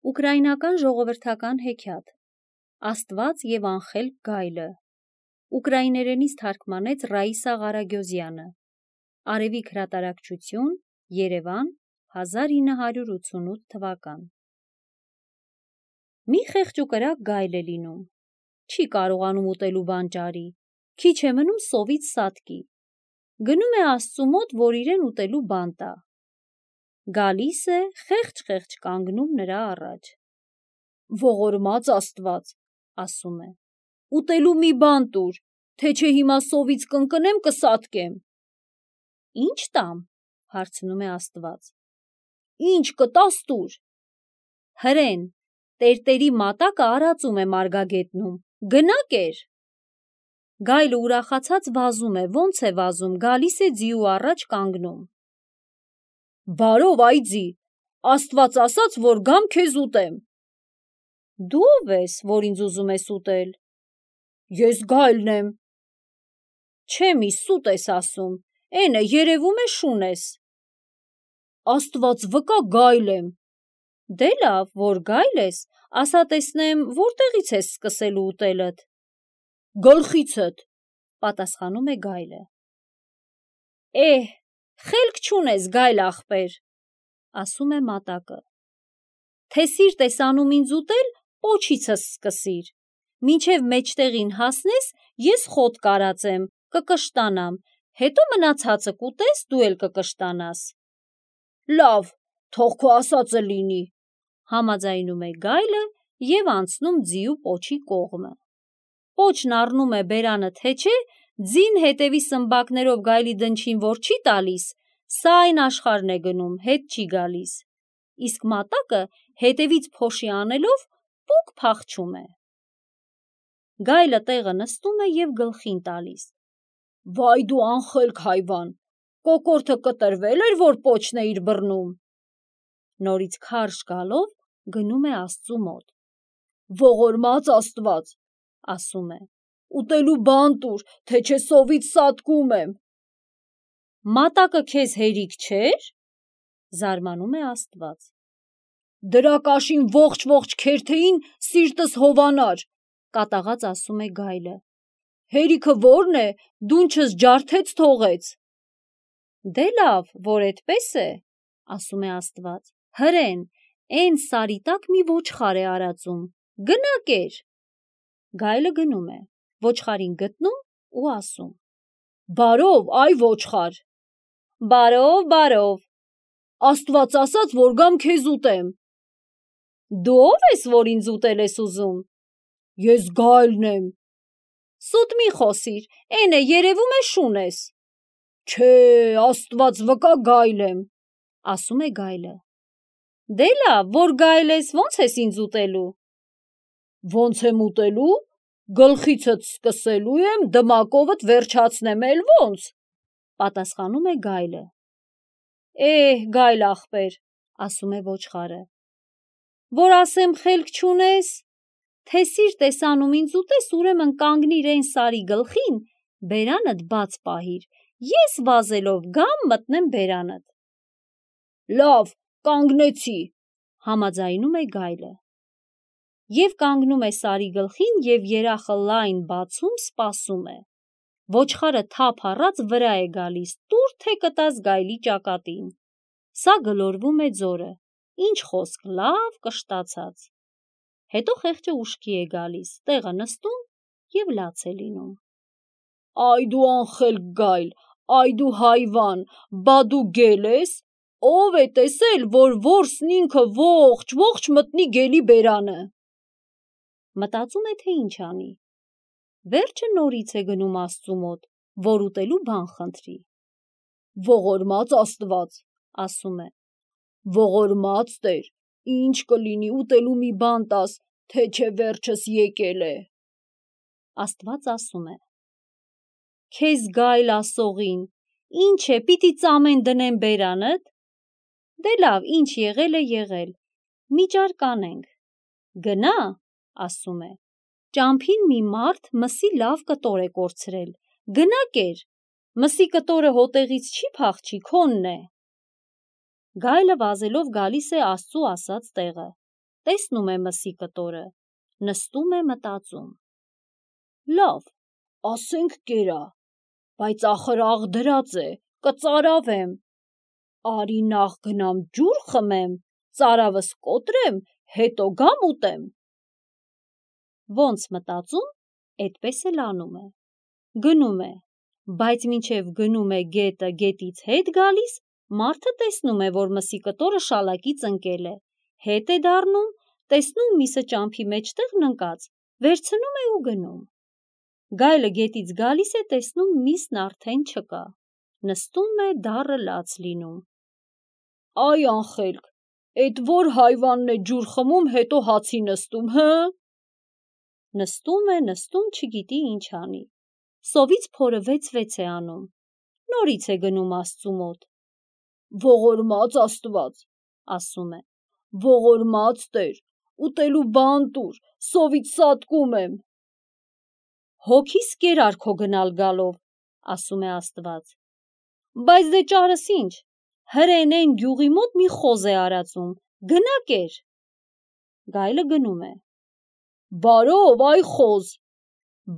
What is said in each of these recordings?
Ուկրաինական ժողովրդական հեքիաթ Աստված և անխելք գայլը ուկրաիներենից թարգմանեց Ռաիսա Ղարագյոզյանը Արևիկ հրատարակչություն Երևան 1988 թվական Մի խեղճ ու կրակ գայլ է լինում չի կարողանում ուտելու բան ճարի քիչ է մնում սովից սատկի գնում է Աստծու մոտ որ իրեն ուտելու բան տա Գալիս է խեղճ կանգնում նրա առաջ Ողորմած Աստված ասում է ուտելու մի բան տուր թե չէ հիմա սովից կընկնեմ կսատկեմ Ինչ տամ հարցնում է Աստված Ինչ կտաս տուր Հրեն տերտերի մատակը արածում է մարգագետնում գնա կեր Գայլը ուրախացած վազում է ոնց է վազում գալիս է ձիու առաջ կանգնում Բարով այ ձի Աստված ասաց որ գամ քեզ ուտեմ Դու ով ես որ ինձ ուզում ես ուտել Ես գայլն եմ Չեմի սուտ ես ասում Էնե երևում է շուն ես Աստված վկա գայլ եմ Դե լավ որ գայլ ես ասա տեսնեմ որտեղից ես սկսելու ուտելդ Գլխիցդ պատասխանում է գայլը Խելք չունես գայլ ախպեր ասում է մատակը Թե սիրտ ես անում ինձ ուտել պոչիցս սկսիր Մինչև մեջտեղին հասնես ես խոտ կարածեմ կկշտանամ հետո մնացածը կուտես դու էլ կկշտանաս Լավ թող քո ասածը լինի համաձայնում է գայլը և անցնում ձիու պոչի կողմը Պոչն առնում է բերանը թե չէ ձին հետևի սմբակներով գայլի դնչին որ չի տալիս սա այն աշխարհն է գնում հետ չի գալիս Իսկ մատակը հետևից փոշի անելով պուկ փախչում է Գայլը տեղը նստում է և գլխին տալիս Վայ դու անխելք հայվան կոկորդը կտրվել էր որ պոչն էիր բռնում Նորից քարշ գալով գնում է Աստծու մոտ Ողորմած Աստված ասում է Ուտելու բան տուր թե չէ սովից սատկում եմ Մատակը քեզ հերիք չէր Զարմանում է Աստված Դրա կաշին ողջ քերթեին սիրտս հովանար կատաղած ասում է գայլը Հերիքը որն է դունչս ջարդեց թողեց Դե լավ որ էդպես է ասում է Աստված հրեն էն սարի տակ մի ոչխար է արածում գնա կեր Գայլը գնում է ոչխարին գտնում ու ասում Բարով այ ոչխար Բարով Աստված ասաց որ գամ քեզ ուտեմ Դու ով ես որ ինձ ուտել ես ուզում Ես գայլն եմ Սուտ մի խոսիր էնե երևում է շուն ես Չէ Աստված վկա գայլ եմ ասում է գայլը Դե լավ որ գայլ ես ոնց ես ինձ ուտելու Ոնց եմ ուտելու Գլխիցդ սկսելու եմ դմակովդ վերջացնեմ էլ ոնց պատասխանում է գայլը Գայլ ախպեր ասում է ոչխարը Որ ասեմ խելք չունես Թե սիրտ ես անում ինձ ուտես ուրեմն կանգնիր էն սարի գլխին բերանդ բաց պահիր ես վազելով գամ մտնեմ բերանդ Լավ կանգնեցի համաձայնում է գայլը Եվ կանգնում է սարի գլխին և երախը լայն բացում սպասում է Ոչխարը թափ առած վրա է գալիս տուր թե կտաս գայլի ճակատին Սա գլորվում է ձորը Ինչ խոսք լավ կշտացած Հետո խեղճը ուշքի է գալիս տեղը նստում և լաց է լինում Այ դու անխելք գայլ Այ դու հայվան բա դու գել ես Ով է տեսել որ որսն ինքը ողջ մտնի գելի բերանը Մտածում է թե ինչ անի Վերջը նորից է գնում Աստծու մոտ որ ուտելու բան խնդրի Ողորմած Աստված ասում է Ողորմած Տեր ինչ կլինի ուտելու մի բան տաս թե չէ վերջս եկել է Աստված ասում է Քեզ գայլ ասողին ինչ է պիտի ծամեն դնեմ բերանդ Դե լավ ինչ եղել է եղել մի ճար կանենք Գնա ասում է Ճամփին մի մարդ մսի լավ կտոր է կորցրել Գնա կեր Մսի կտորը հոտեղից չի փախչի քոնն է Գայլը վազելով գալիս է Աստծու ասած տեղը տեսնում է մսի կտորը, նստում է մտածում. լավ, ասենք կերա, բայց ախր աղ դրած է, կծարավեմ, արի նախ գնամ ջուր խմեմ, ծարավս կոտրեմ, հետո գամ ուտեմ։ Ոնց մտածում, էդպես էլ անում է, գնում է, բայց մինչև գնում է գետը գետից հետ գալիս, մարդը տեսնում է, որ մսի կտորը շալակից ընկել է, հետ է դառնում, տեսնում միսը ճամփի մեջտեղն ընկած, վերցնում է ու գնում։ Գայլը գետից գալիս է, տեսնում միսն արդեն չկա, նստում է դառը լաց լինում։ Այ անխելք, էդ որ հայվանն է ջուր խմում, հետո հացի նստում, հը։ Նստում է, չգիտի ինչ անի, սովից փորը վեց է անում, նորից է գնում Աստծու մոտ։ Ողորմած Աստված, ասում է, ողորմած Տեր, ուտելու բան տուր, սովից սատկում եմ։ Հոգիս կերար քո գնալ գալով, ասում է Աստված։ Բայց դե ճարս ինչ, հրեն գյուղի մոտ մի խոզ է արածում, գնա կեր։ Գայլը գնում է։ Բարով, այ խոզ։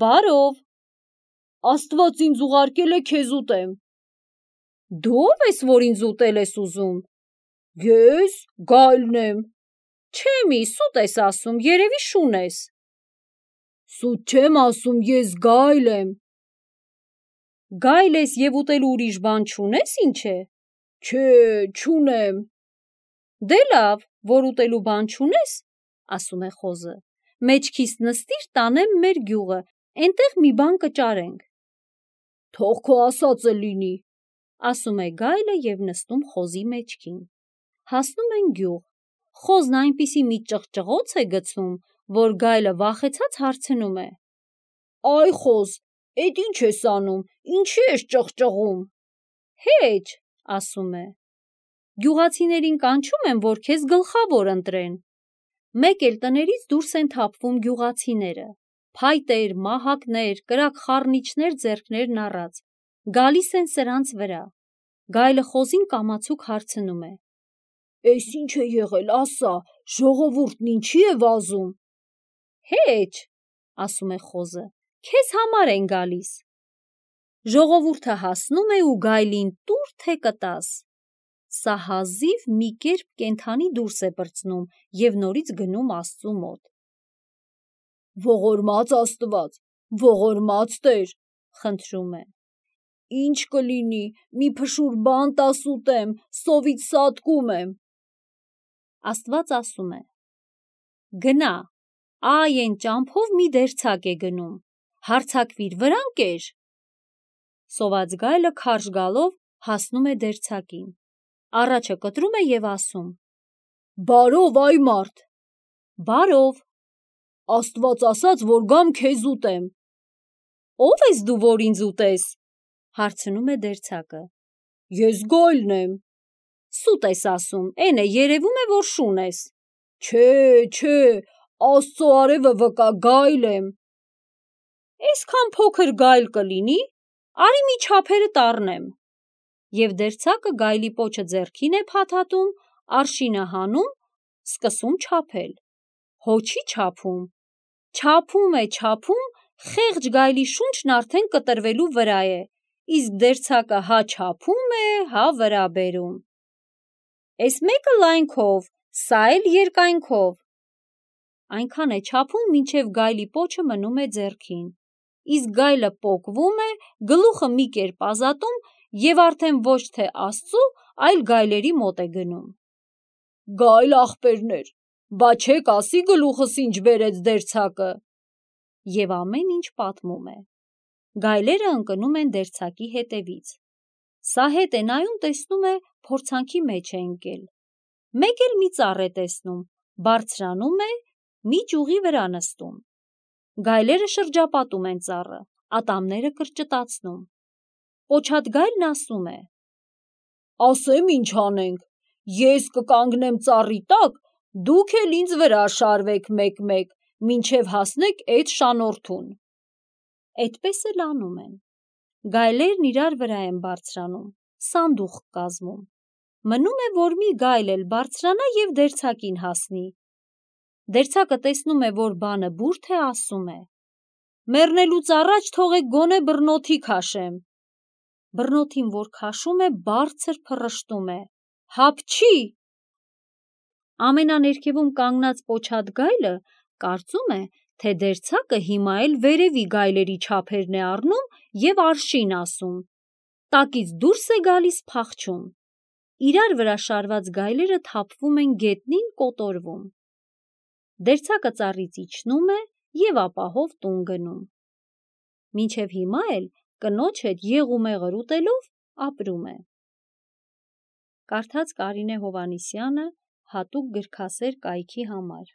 Բարով։ Աստված ինձ ուղարկել է քեզ ուտեմ։ Դու ով ես, որ ինձ ուտել ես ուզում։ Ես գայլն եմ։ Չեմի, սուտ ես ասում, երևի շուն ես։ Սուտ չեմ ասում, ես գայլ եմ։ Գայլ ես և ուտելու ուրիշ բան չունես, ինչ է։ Չէ, չունեմ։ Դե լավ, որ ուտելու բան չունես, ասում է խոզը, մեջքիս նստիր տանեմ մեր գյուղը, էնտեղ մի բան կճարենք։ Թող քո ասածը լինի, ասում է գայլը և նստում խոզի մեջքին։ Հասնում են գյուղ, խոզն այնպիսի մի ճղճղոց է գցում, որ գայլը վախեցած հարցնում է. Այ խոզ, էդ ինչ ես անում, ինչի ես ճղճղում։ Հեչ, ասում է, գյուղացիներին կանչում եմ, որ քեզ գլխավոր ընտրեն։ Մեկ էլ տներից դուրս են թափվում գյուղացիները, փայտեր, մահակներ, կրակ խառնիչներ ձեռքներն առած, գալիս են սրանց վրա։ Գայլը խոզին կամացուկ հարցնում է. Էս ինչ է եղել, ասա, ժողովուրդն ինչի է վազում։ Հեչ, ասում է խոզը, քեզ համար են գալիս։ Ժողովուրդը հասնում է ու գայլին տուր թե կտաս։ Սա հազիվ մի կերպ կենդանի դուրս է պրծնում և նորից գնում Աստծու մոտ։ Ողորմած Աստված, ողորմած Տեր, խնդրում է։ Ինչ կլինի, մի փշուր բան տաս ուտեմ, սովից սատկում եմ։ Աստված ասում է. Գնա, այ են ճամփով մի դերձակ է գնում, հարձակվիր վրան կեր։ Սոված գայլը քարշ գալով հասնում է դերձակին, առաջը կտրում է և ասում. Բարով, այ մարդ։ Բարով։ Աստված ասաց, որ գամ քեզ ուտեմ։ Ով ես դու, որ ինձ ուտես, հարցնում է դերձակը։ Ես գայլն եմ։ Սուտ ես ասում, էն է երևում է, որ շուն ես։ Չէ, Աստծո արևը վկա, գայլ եմ։ Էսքան փոքր գայլ կլինի, արի մի չափերդ առնեմ։ Եվ դերձակը գայլի պոչը ձեռքին է փաթաթում, արշինը հանում, սկսում չափել։ Հո չի չափում։ Չափում է, խեղճ գայլի շունչն արդեն կտրվելու վրա է, իսկ դերձակը հա չափում է, հա վրա բերում։ Էս մեկը լայնքով, սա էլ երկայնքով։ Այնքան է չափում, մինչև գայլի պոչը մնում է ձեռքին, իսկ գայլը պոկվում է, գլուխը մի կերպ ազատում և արդեն ոչ թե Աստծու, այլ գայլերի մոտ է գնում։ Գայլ ախպերներ, բա չեք ասի գլուխս ինչ բերեց դերձակը։ Եվ ամեն ինչ պատմում է։ Գայլերը ընկնում են դերձակի հետևից։ Սա հետ է նայում, տեսնում է, փորձանքի մեջ է ընկել։ Մեկ էլ մի ծառ է տեսնում, բարձրանում է, մի ճյուղի վրա նստում։ Գայլերը շրջապատում են ծառը, ատամները կրճտացնում։ Պոչատ գայլն ասում է. Ասեմ ինչ անենք, ես կկանգնեմ ծառի տակ, դուք էլ ինձ վրա շարվեք մեկ-մեկ, մինչև հասնեք էդ շանորթուն։ Էդպես էլ անում են։ Գայլերն իրար վրա են բարձրանում, սանդուղք կազմում։ Մնում է, որ մի գայլ էլ բարձրանա և դերձակին հասնի։ Դերձակը տեսնում է, որ բանը բուրդ է, ասում է. «Մեռնելուց առաջ թողեք գոնե բռնոթի քաշեմ»։ Բռնոթին, որ քաշում է, բարձր փռշտում է. «Հապչի»։ Ամենաներքևում կանգնած պոչած գայլը կարծում է, թե դերձակը հիմա էլ վերևի գայլերի չափերն է առնում և արշին ասում, տակից դուրս է գալիս փախչում։ Իրար վրա շարված գայլերը թափվում են գետնին, կոտորվում։ Դերձակը ծառից իջնում է և ապահով տուն գնում։ Մինչև հիմա էլ կնոջ հետ եղումեղր ուտելով ապրում է։ Կարդաց Կարինե Հովհաննիսյանը հատուկ գրքասեր կայքի համար։